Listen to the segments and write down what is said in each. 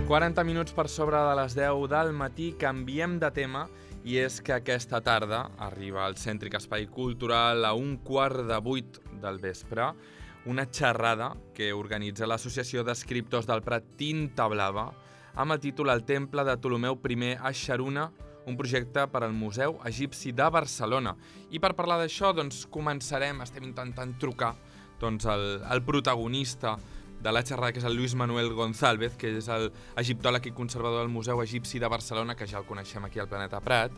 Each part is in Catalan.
40 minuts per sobre de les 10 del matí, canviem de tema, i és que aquesta tarda arriba al Cèntric Espai Cultural a 7:15 del vespre una xerrada que organitza l'Associació d'Escriptors del Prat Tinta Blava amb el títol El Temple de Ptolemeu I a Xaruna, un projecte per al Museu Egipci de Barcelona. I per parlar d'això, estem intentant trucar el protagonista de la xerrada, que és el Luis Manuel González, que és l'egiptòleg i conservador del Museu Egipci de Barcelona, que ja el coneixem aquí al Planeta Prat.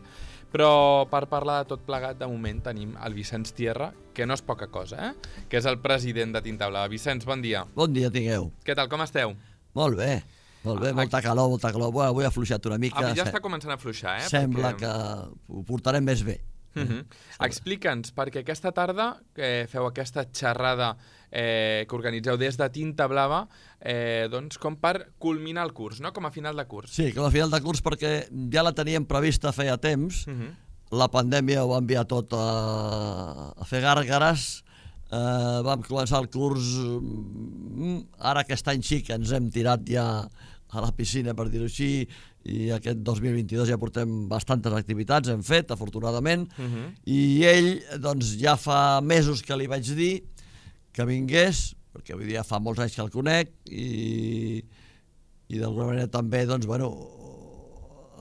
Però per parlar de tot plegat, de moment tenim el Vicenç Tierra, que no és poca cosa, que és el president de Tinta Blava. Vicenç, bon dia. Bon dia tingueu. Què tal, com esteu? Molt bé, molta calor, molta calor. Bueno, avui ha afluixat una mica. Ja està començant a afluixar, Sembla que ho portarem més bé. Explica'ns, perquè aquesta tarda feu aquesta xerrada que organitzeu des de Tinta Blava, com per culminar el curs, no? Com a final de curs. Sí, com a final de curs, perquè ja la teníem prevista feia temps. La pandèmia ho va enviar tot a fer gàrgares. Vam començar el curs, ara aquest any sí que ens hem tirat ja a la piscina, per dir-ho així, i aquest 2022 ja portem bastantes activitats, hem fet, afortunadament, i ell, doncs, ja fa mesos que li vaig dir que vingués, perquè avui dia fa molts anys que el conec, i d'alguna manera també, doncs, bueno,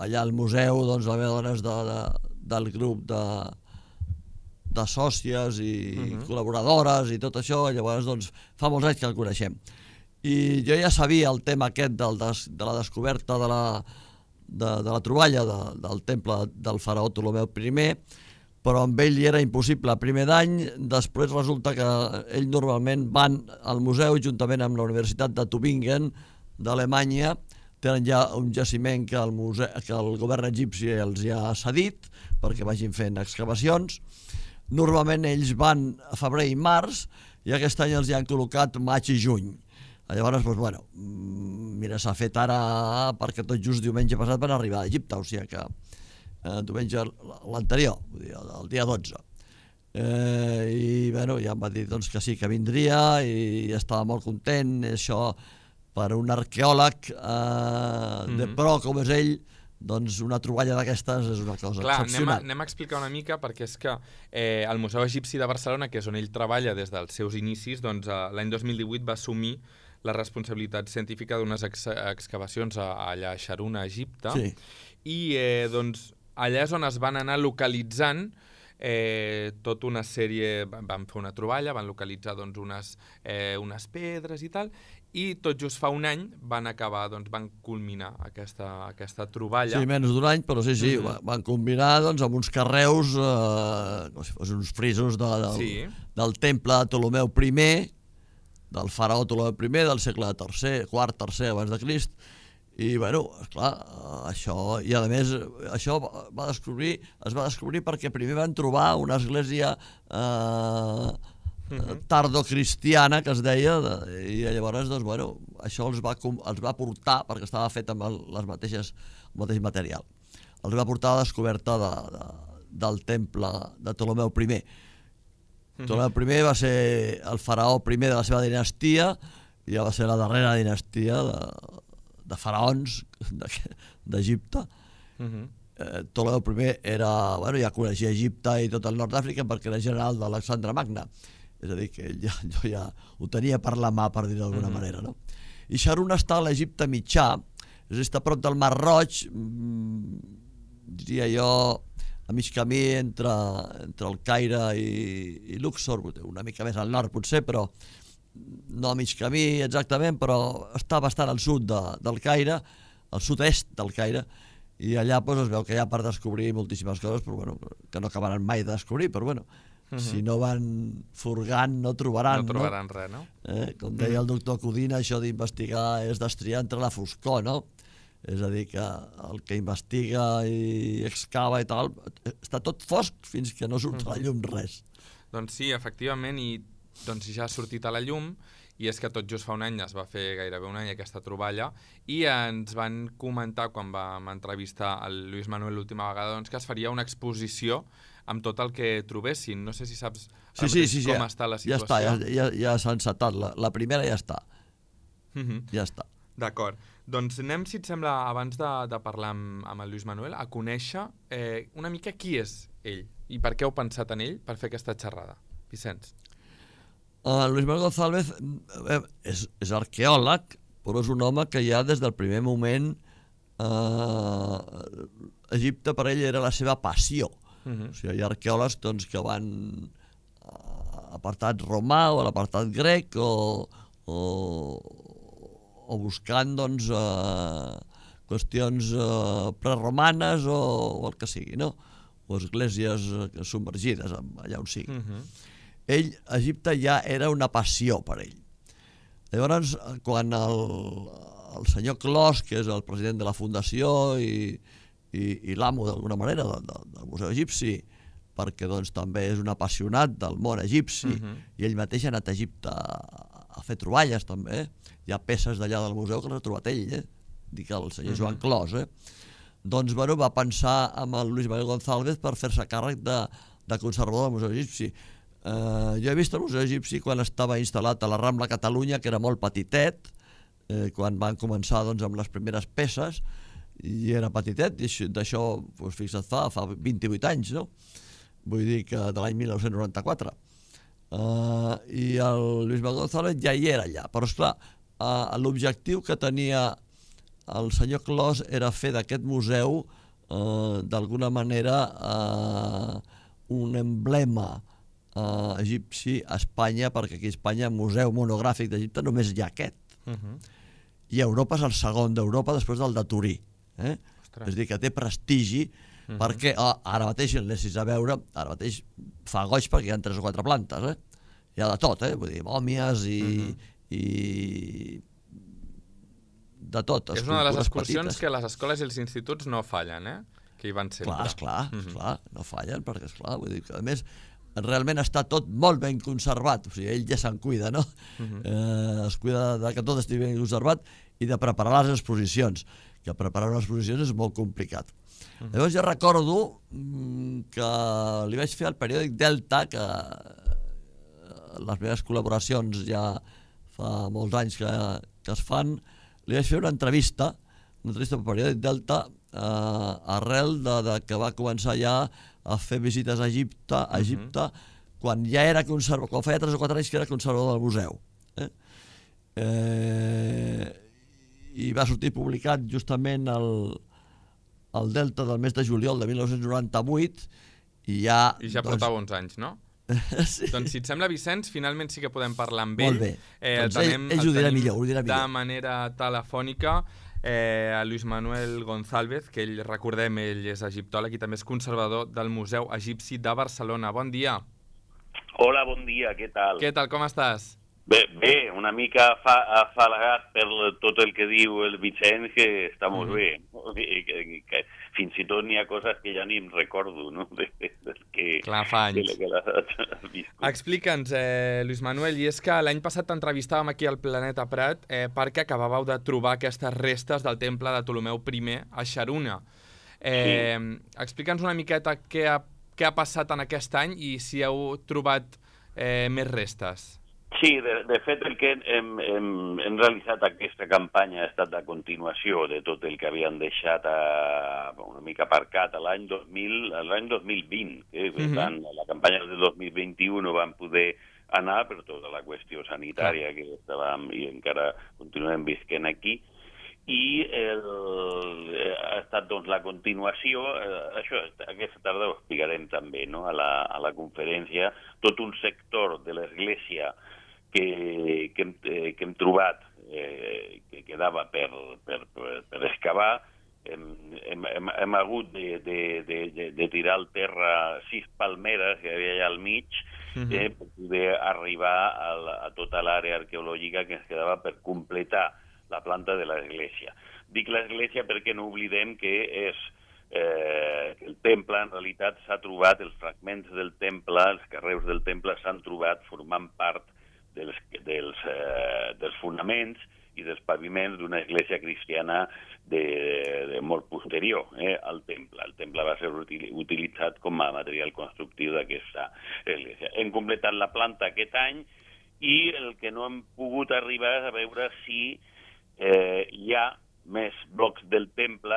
allà al museu, doncs, la meva dona és del grup de sòcies i col·laboradores i tot això, i llavors, doncs, fa molts anys que el coneixem. I jo ja sabia el tema aquest de la descoberta de la troballa del temple del faraó Ptolemeu I, però amb ell era impossible a primer d'any. Després resulta que ell normalment van al museu juntament amb la Universitat de Tübingen d'Alemanya. Tenen ja un jaciment que el govern egipci els ha cedit perquè vagin fent excavacions. Normalment ells van a febrer i març, i aquest any els hi han col·locat maig i juny. Llavors, doncs, bueno, mira, s'ha fet ara perquè tot just diumenge passat van arribar a Egipte, o sigui que diumenge l'anterior, el dia 12. I, bueno, ja em va dir doncs, que sí, que vindria, i estava molt content. Això, per un arqueòleg de pro com és ell, doncs una troballa d'aquestes és una cosa excepcional. Anem a explicar una mica, perquè és que el Museu Egipci de Barcelona, que és on ell treballa des dels seus inicis, doncs l'any 2018 va assumir la responsabilitat científica d'unes excavacions allà a Xaruna, a Egipte, i doncs allà és on es van anar localitzant tota una sèrie, van fer una troballa, van localitzar doncs unes pedres i tal, i tot just fa un any van acabar, doncs van culminar aquesta troballa. Sí, menys d'un any, però sí, van culminar doncs amb uns carreus, com si fossin uns frisos del temple de Ptolemeu I, del faraó Ptolemeu I, del segle III, IV abans de Crist. I, bueno, esclar, això, i a més, això es va descobrir perquè primer van trobar una església tardocristiana, que es deia, i llavors, doncs, bueno, això els va portar, perquè estava fet amb el mateix material, els va portar a la descoberta del temple de Ptolemeu I. Ptolemeu I va ser el faraó primer de la seva dinastia, i ja va ser la darrera dinastia de faraons d'Egipte. Ptolemeu I ja coneixia Egipte i tot el nord d'Àfrica perquè era general d'Alexandre Magne. És a dir, que jo ja ho tenia per la mà, per dir-ho d'alguna manera, no? I Xaruna està a l'Egipte mitjà, està a prop del Mar Roig, diria jo, a mig camí entre el Caire i Luxor, una mica més al nord potser, però no a mig camí exactament, però està bastant al sud del Caire, al sud-est del Caire, i allà es veu que hi ha per descobrir moltíssimes coses, però que no acabaran mai de descobrir, però bueno, si no van furgant no trobaran. No trobaran res, no? Com deia el doctor Codina, això d'investigar és destriar entre la foscor, no? És a dir, que el que investiga i excava i tal, està tot fosc fins que no surt a la llum res. Doncs sí, efectivament, i doncs ja ha sortit a la llum, i és que tot just fa un any, es va fer gairebé un any aquesta troballa, i ens van comentar, quan vam entrevistar el Luis Manuel l'última vegada, doncs, que es faria una exposició amb tot el que trobessin. No sé si saps com està la situació. Ja està, ja s'ha encetat. La primera ja està. Ja està. D'acord. Doncs anem, si et sembla, abans de parlar amb el Lluís Manuel, a conèixer una mica qui és ell i per què heu pensat en ell per fer aquesta xerrada. Vicenç. Luis Manuel González és arqueòleg, però és un home que ja des del primer moment Egipte per ell era la seva passió. O sigui, hi ha arqueòlegs doncs, que van a l'apartat romà o a l'apartat grec o buscant doncs, qüestions preromanes o el que sigui, no? O esglésies submergides, allà on sigui. Ell, Egipte ja era una passió per ell. Llavors, quan el senyor Clos, que és el president de la fundació i l'amo d'alguna manera del Museu Egipci, perquè doncs, també és un apassionat del món egipci i ell mateix ha anat a Egipte a fer troballes també. Hi ha peces d'allà del museu que les ha trobat ell, dic el senyor Joan Clos. Doncs bueno, va pensar amb el Luis Manuel González per fer-se càrrec de conservador del Museu Egipci. Jo he vist el Museu Egipci quan estava instal·lat a la Rambla Catalunya, que era molt petitet, quan van començar doncs, amb les primeres peces, i era petitet, i d'això, doncs, fixa't, fa 28 anys, no? Vull dir que de l'any 1994. I el Luis Manuel González ja hi era allà, però esclar, l'objectiu que tenia el senyor Clos era fer d'aquest museu d'alguna manera un emblema egipci a Espanya, perquè aquí a Espanya museu monogràfic d'Egipte només hi ha aquest. I Europa és el segon d'Europa després del de Turí. És a dir, que té prestigi, perquè ara mateix, si l'anessis a veure, ara mateix fa goig perquè hi ha 3 o 4 plantes. Hi ha de tot, vull dir, mòmies i de tot. És una de les excursions que les escoles i els instituts no fallen, que hi van sempre. Esclar, no fallen, perquè esclar, vull dir que a més realment està tot molt ben conservat, o sigui, ell ja se'n cuida, no? Es cuida que tot estigui ben conservat i de preparar les exposicions, que preparar unes exposicions és molt complicat. Llavors jo recordo que li vaig fer al periòdic Delta, que les meves col·laboracions ja fa molts anys que es fan, li vaig fer una entrevista pel periòdic Delta arrel de que va començar ja a fer visites a Egipte quan ja era conservador, quan feia 3 o 4 anys que era conservador del museu. I va sortir publicat justament el Delta del mes de juliol de 1998 i ja... I ja portava uns anys, no? Sí. Doncs si et sembla, Vicenç, finalment sí que podem parlar amb ell. Molt bé, doncs ell ho dirà millor. De manera telefònica, a Luis Manuel González, que ell, recordem, ell és egiptòleg i també és conservador del Museu Egipci de Barcelona. Bon dia. Hola, bon dia, què tal? Què tal, com estàs? Bé, una mica afalagat per tot el que diu el Vicenç, que està molt bé. Que fins i tot n'hi ha coses que ja ni em recordo, no? Clar, fa anys. Explica'ns, Luis Manuel, i és que l'any passat t'entrevistàvem aquí al Planeta Prat perquè acabàveu de trobar aquestes restes del temple de Ptolemeu I a Xaruna. Explica'ns una miqueta què ha passat en aquest any i si heu trobat més restes. Sí, de fet el que hem realitzat aquesta campanya ha estat la continuació de tot el que havien deixat una mica aparcat l'any 2020. Per tant, la campanya del 2021 no vam poder anar per tota la qüestió sanitària que estàvem i encara continuem visquent aquí. I ha estat doncs, la continuació, això aquesta tarda ho explicarem també, no? A la conferència, tot un sector de l'Església que hem trobat que quedava per excavar. Hem hagut de tirar al terra 6 palmeres que hi havia allà al mig per poder arribar a tota l'àrea arqueològica que ens quedava per completar la planta de l'església. Dic l'església perquè no oblidem que el temple, en realitat, s'ha trobat, els fragments del temple, els carreus del temple s'han trobat formant part dels fonaments i dels paviments d'una església cristiana de molt posterior al temple. El temple va ser utilitzat com a material constructiu d'aquesta església. Hem completat la planta aquest any i el que no hem pogut arribar és a veure si hi ha més blocs del temple,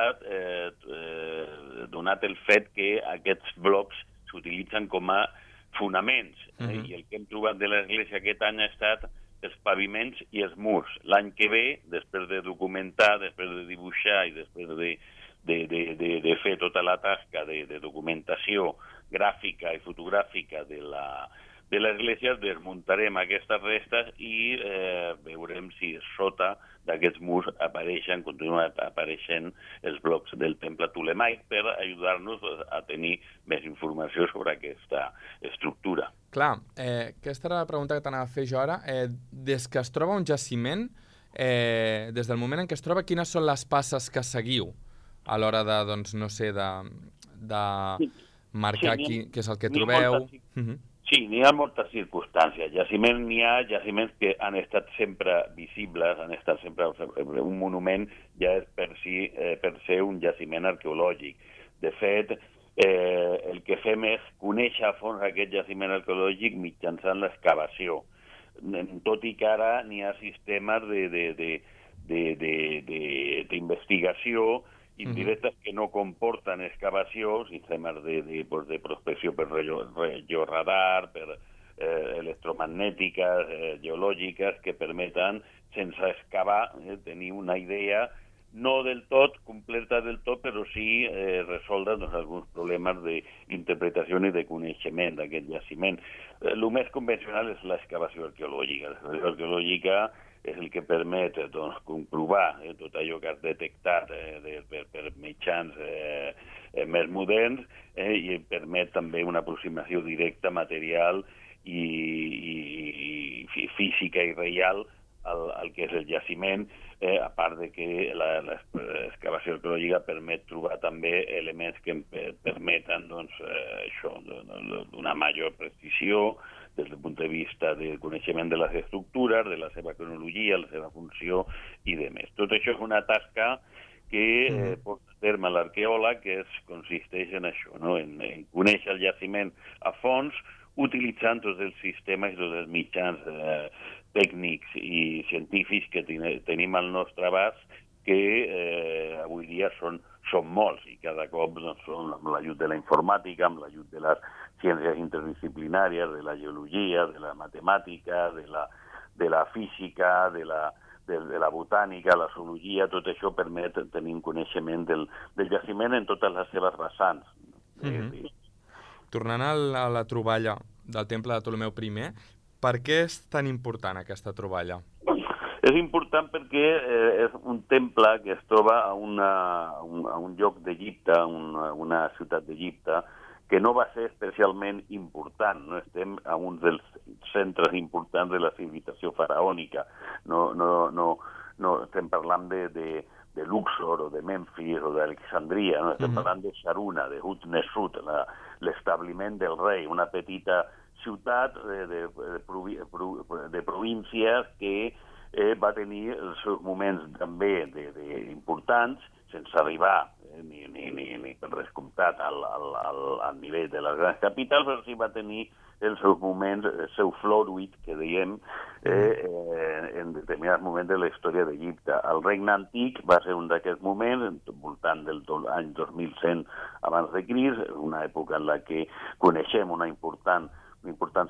donat el fet que aquests blocs s'utilitzen com a fonaments. I el que hem trobat de l'església aquest any ha estat els paviments i els murs. L'any que ve, després de documentar, després de dibuixar i després de fer tota la tasca de documentació gràfica i fotogràfica de l'església, desmuntarem aquestes restes i veurem si sota d'aquests murs continuen apareixent els blocs del temple Ptolemaic per ajudar-nos a tenir més informació sobre aquesta estructura. Clar, aquesta era la pregunta que t'anava a fer jo ara. Des que es troba un jaciment, des del moment en què es troba, quines són les passes que seguiu a l'hora de, doncs, no sé, de marcar què és el que trobeu? Sí, n'hi ha moltes circumstàncies. N'hi ha jaciments que han estat sempre visibles, han estat sempre... Un monument ja és per ser un jaciment arqueològic. De fet, el que fem és conèixer a fons aquest jaciment arqueològic mitjançant l'excavació. Tot i que ara n'hi ha sistemes d'investigació indirectes que no comporten excavació, sistemes de prospecció per radar, per electromagnètiques, geològiques, que permeten, sense excavar, tenir una idea no del tot, completa del tot, però sí resoldre alguns problemes d'interpretació i de coneixement d'aquest jaciment. El més convencional és l'excavació arqueològica. L'excavació arqueològica és el que permet comprovar tot allò que has detectat per mitjans més moderns i permet també una aproximació directa, material i física i real al que és el jaciment, a part de que l'excavació arqueològica permet trobar també elements que permeten d'una major precisió des del punt de vista del coneixement de les estructures, de la seva cronologia, la seva funció i demés. Tot això és una tasca que porta a terme l'arqueòleg, que consisteix en això, en conèixer el jaciment a fons, utilitzant tots els sistemes i tots els mitjans tècnics i científics que tenim al nostre abast, que avui dia són molts i cada cop són amb l'ajut de la informàtica, amb l'ajut de les ciències interdisciplinàries, de la geologia, de la matemàtica, de la física, de la botànica, la zoologia, tot això permet tenir un coneixement del jaciment en totes les seves vessants. Tornant a la troballa del temple de Ptolemeu I, per què és tan important aquesta troballa? És important perquè és un temple que es troba a un lloc d'Egipte, una ciutat d'Egipte, que no va ser especialment important. No estem a un dels centres importants de la civilització faraònica. No estem parlant de Luxor o de Memphis o d'Alexandria, no estem parlant de Sharuna, de Hutnesut, l'establiment del rei, una petita ciutat de províncies que va tenir els seus moments també importants, sense arribar ni per descomptat al nivell de les grans capitals, però sí va tenir els seus moments, el seu floruit, que diem, en determinats moments de la història d'Egipte. El regne antic va ser un d'aquests moments, voltant del any 2100 abans de Crist, una època en la que coneixem un important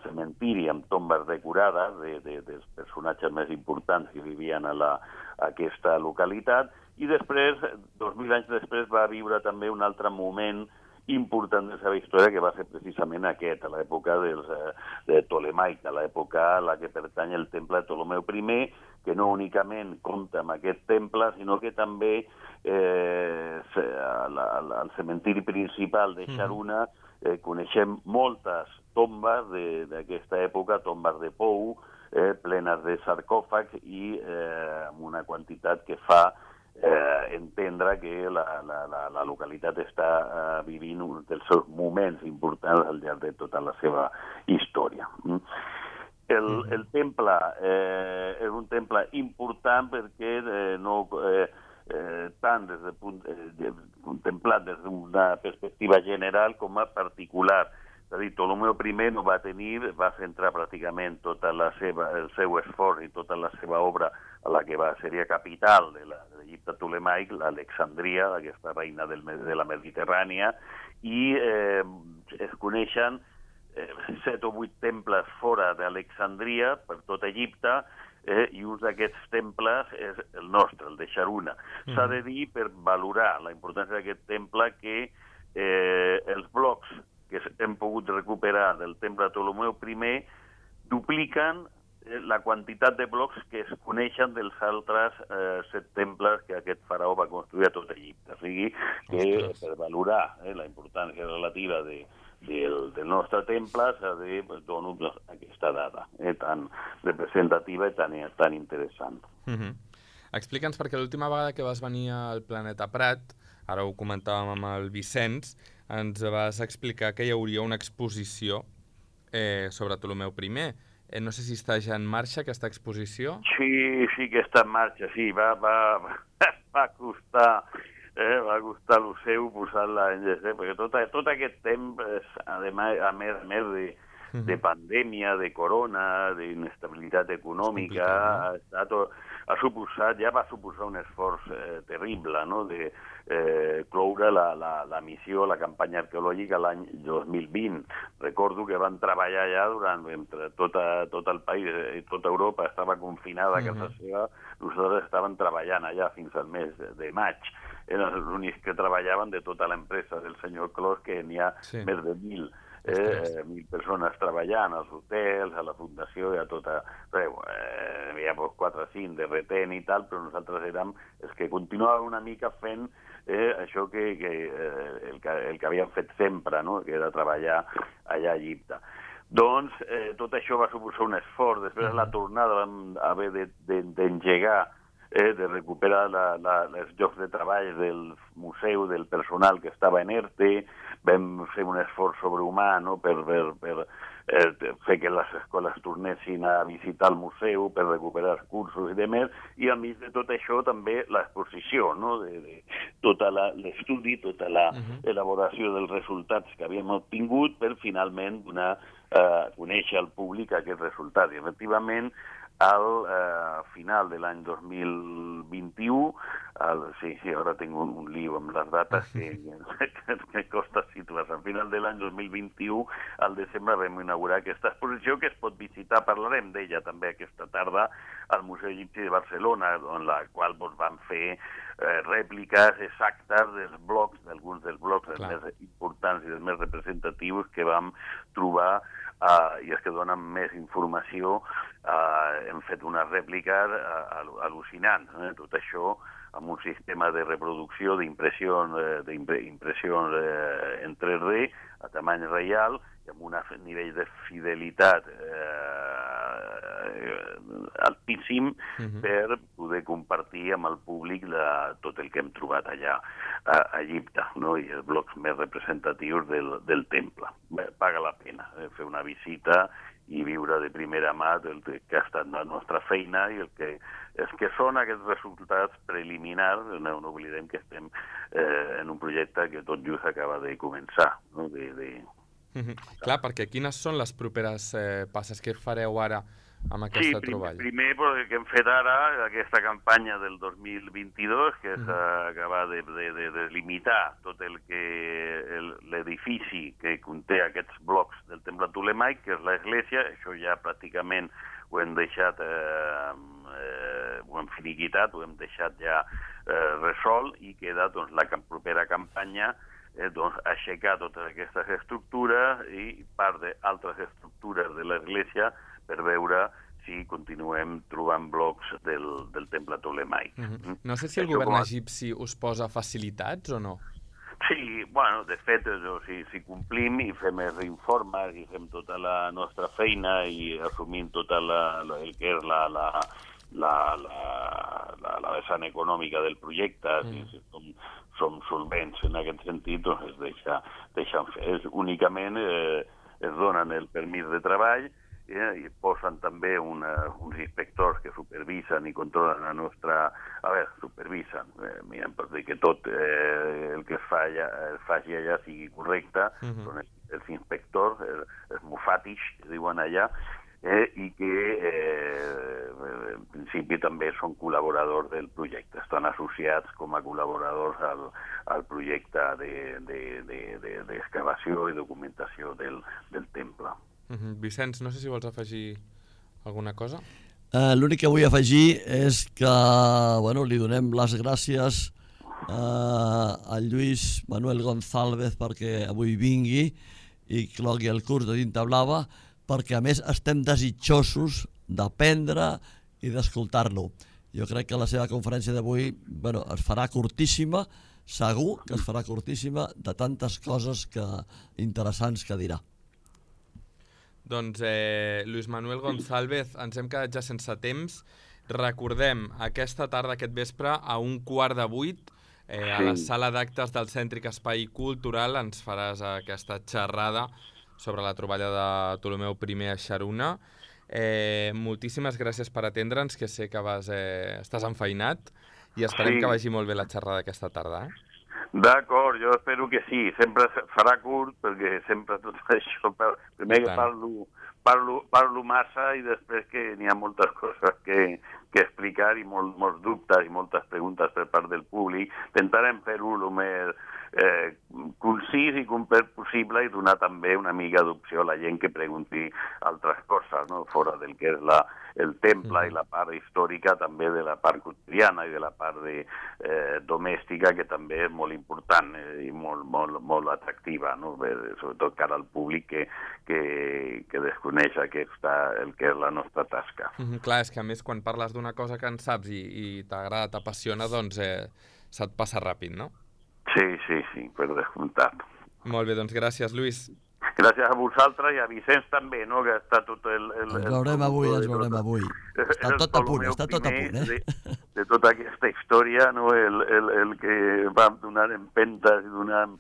cementiri amb tombes decorades dels personatges més importants que vivien a aquesta localitat, i després, 2000 anys després, va viure també un altre moment important de la seva història, que va ser precisament aquest, a l'època de Ptolemaic, a l'època a la que pertany el temple de Ptolemeu I, que no únicament compta amb aquest temple, sinó que també al cementiri principal de Sharuna coneixem moltes tombes d'aquesta època, tombes de pou, plenes de sarcòfags i amb una quantitat que fa entendre que la localitat està vivint un dels seus moments importants al llarg de tota la seva història. El temple és un temple important perquè tant contemplat des d'una perspectiva general com a particular. És a dir, Ptolemeu I va centrar pràcticament tot el seu esforç i tota la seva obra a la que seria capital de l'Egipte Ptolemaic, l'Alexandria, aquesta reina de la Mediterrània, i es coneixen 7 o 8 temples fora d'Alexandria, per tot Egipte, i un d'aquests temples és el nostre, el de Sharuna. S'ha de dir, per valorar la importància d'aquest temple, que els blocs que hem pogut recuperar del temple de Ptolemeu I dupliquen la quantitat de blocs que es coneixen dels altres 7 temples que aquest faraó va construir a tot Egipte. O sigui, que per valorar la importància relativa del nostre temple s'ha de donar aquesta dada tan representativa i tan interessant. Explica'ns, perquè l'última vegada que vas venir al Planeta Prat, ara ho comentàvem amb el Vicenç, ens vas explicar que hi hauria una exposició sobre Ptolemeu I. No sé si està ja en marxa aquesta exposició. Sí que està en marxa, sí. Va costar el seu posar-la en gest, perquè tot aquest temps, a més de pandèmia, de corona, d'inestabilitat econòmica, va suposar un esforç terrible, no?, de cloure la missió, la campanya arqueològica l'any 2020. Recordo que van treballar ja entre tot el país i tota Europa estava confinada a casa seva, nosaltres estàvem treballant allà fins al mes de maig. Eren els únics que treballaven de tota l'empresa del senyor Clos, que n'hi ha més de 1.000 persones treballant als hotels, a la fundació i a tota... Hi havia 4 o 5 de retén i tal, però nosaltres érem els que continuàvem una mica fent això que el que havíem fet sempre, no?, que era treballar allà a Egipte. Doncs tot això va suposar un esforç. Després la tornada vam haver d'engegar, de recuperar els llocs de treball del museu, del personal que estava en ERTE. Vam fer un esforç sobrehumà, no?, per fer que les escoles tornessin a visitar el museu, per recuperar els cursos i demés, i a mig de tot això també l'exposició, no?, de tot l'estudi, tota l'elaboració dels resultats que havíem obtingut per finalment donar a conèixer al públic aquest resultat. I efectivament, al final de l'any 2021, ara tinc un lío amb les dates que costa situar. Al final de l'any 2021, al desembre, vam inaugurar aquesta exposició que es pot visitar, parlarem d'ella també aquesta tarda, al Museu Egipci de Barcelona, en la qual vam fer rèpliques exactes dels blocs, d'alguns dels blocs més importants i dels més representatius que vam trobar i els que donen més informació. Hem fet unes rèpliques al·lucinants. Tot això amb un sistema de reproducció d'impressió en 3D a tamany real i amb un nivell de fidelitat altíssim per poder compartir amb el públic tot el que hem trobat allà a Egipte, no?, i els blocs més representatius del temple. Paga la pena fer una visita i viure de primera mà el que ha estat la nostra feina i els que són aquests resultats preliminars. No oblidem que estem en un projecte que tot just acaba de començar, no?, Clar, perquè quines són les properes passes que fareu ara amb aquesta troballa? Primer, el que hem fet ara, aquesta campanya del 2022, que és acabar de delimitar tot l'edifici que conté aquests blocs del temple Ptolemaic, que és l'església. Això ja pràcticament ho hem deixat, ho hem finiquitat, ho hem deixat ja resolt, i queda la propera campanya aixecar totes aquestes estructures i part d'altres estructures de l'església per veure si continuem trobant blocs del temple Ptolemaic. No sé si el govern egipci us posa facilitats o no? Sí, de fet, si complim i fem els informes i fem tota la nostra feina i assumim tot el que és la vessant econòmica del projecte, si som solvents en aquest sentit, es deixen fer. Únicament es donen el permís de treball i posen també uns inspectors que supervisen i controlen la nostra... supervisen, miren per dir que tot el que es faci allà sigui correcte, són els inspectors, els mufatish, que diuen allà, i que en principi també són col·laboradors del projecte, estan associats com a col·laboradors al projecte d'excavació i documentació del temple. Vicenç, no sé si vols afegir alguna cosa. L'únic que vull afegir és que li donem les gràcies a Lluís Manuel González perquè avui vingui i clogui el curs de Tinta Blava, perquè a més estem desitjosos d'aprendre i d'escoltar-lo. Jo crec que la seva conferència d'avui es farà curtíssima, segur que es farà curtíssima, de tantes coses interessants que dirà. Doncs Lluís Manuel González, ens hem quedat ja sense temps. Recordem, aquesta tarda, aquest vespre, a 7:15, a la sala d'actes del Cèntric Espai Cultural ens faràs aquesta xerrada sobre la troballa de Ptolemeu I a Xaruna. Moltíssimes gràcies per atendre'ns, que sé que estàs enfeinat, i esperem que vagi molt bé la xerrada aquesta tarda. D'acord, jo espero que sí. Sempre farà curt, perquè sempre tot això... Primer que parlo massa i després que n'hi ha moltes coses que explicar i molts dubtes i moltes preguntes per part del públic. Intentarem fer-ho el més concís i complet possible i donar també una mica d'opció a la gent que pregunti altres coses, no? Fora del que és el temple i la part històrica, també de la part quotidiana i de la part domèstica, que també és molt important i molt atractiva, no? Sobretot cara al públic que desconeix el que és la nostra tasca. Clar, és que a més quan parles d'una cosa que en saps i t'agrada, t'apassiona, doncs se't passa ràpid, no? Sí, per descomptat. Molt bé, doncs gràcies, Lluís. Gràcies a vosaltres i a Vicenç també, no?, que està tot el... Ens veurem avui. Està tot a punt, de tota aquesta història, no?, el que va donant empentes i donant,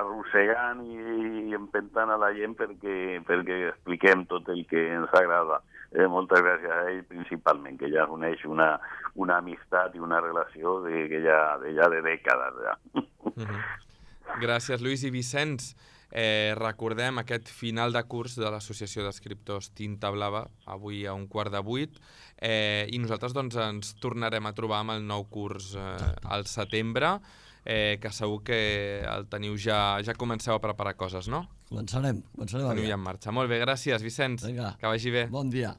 arrossegant i empentant a la gent perquè expliquem tot el que ens agrada. Moltes gràcies a ell principalment, que ja uneix una amistat i una relació que ja de dècades. Gràcies, Lluís. I Vicenç, recordem aquest final de curs de l'Associació d'Escriptors Tinta Blava, avui a 7:15, i nosaltres doncs ens tornarem a trobar amb el nou curs al setembre, que segur que el teniu ja comenceu a preparar coses, no? Començarem teniu ja en marxa. Molt bé, gràcies, Vicenç. Vinga. Que vagi bé. Bon dia.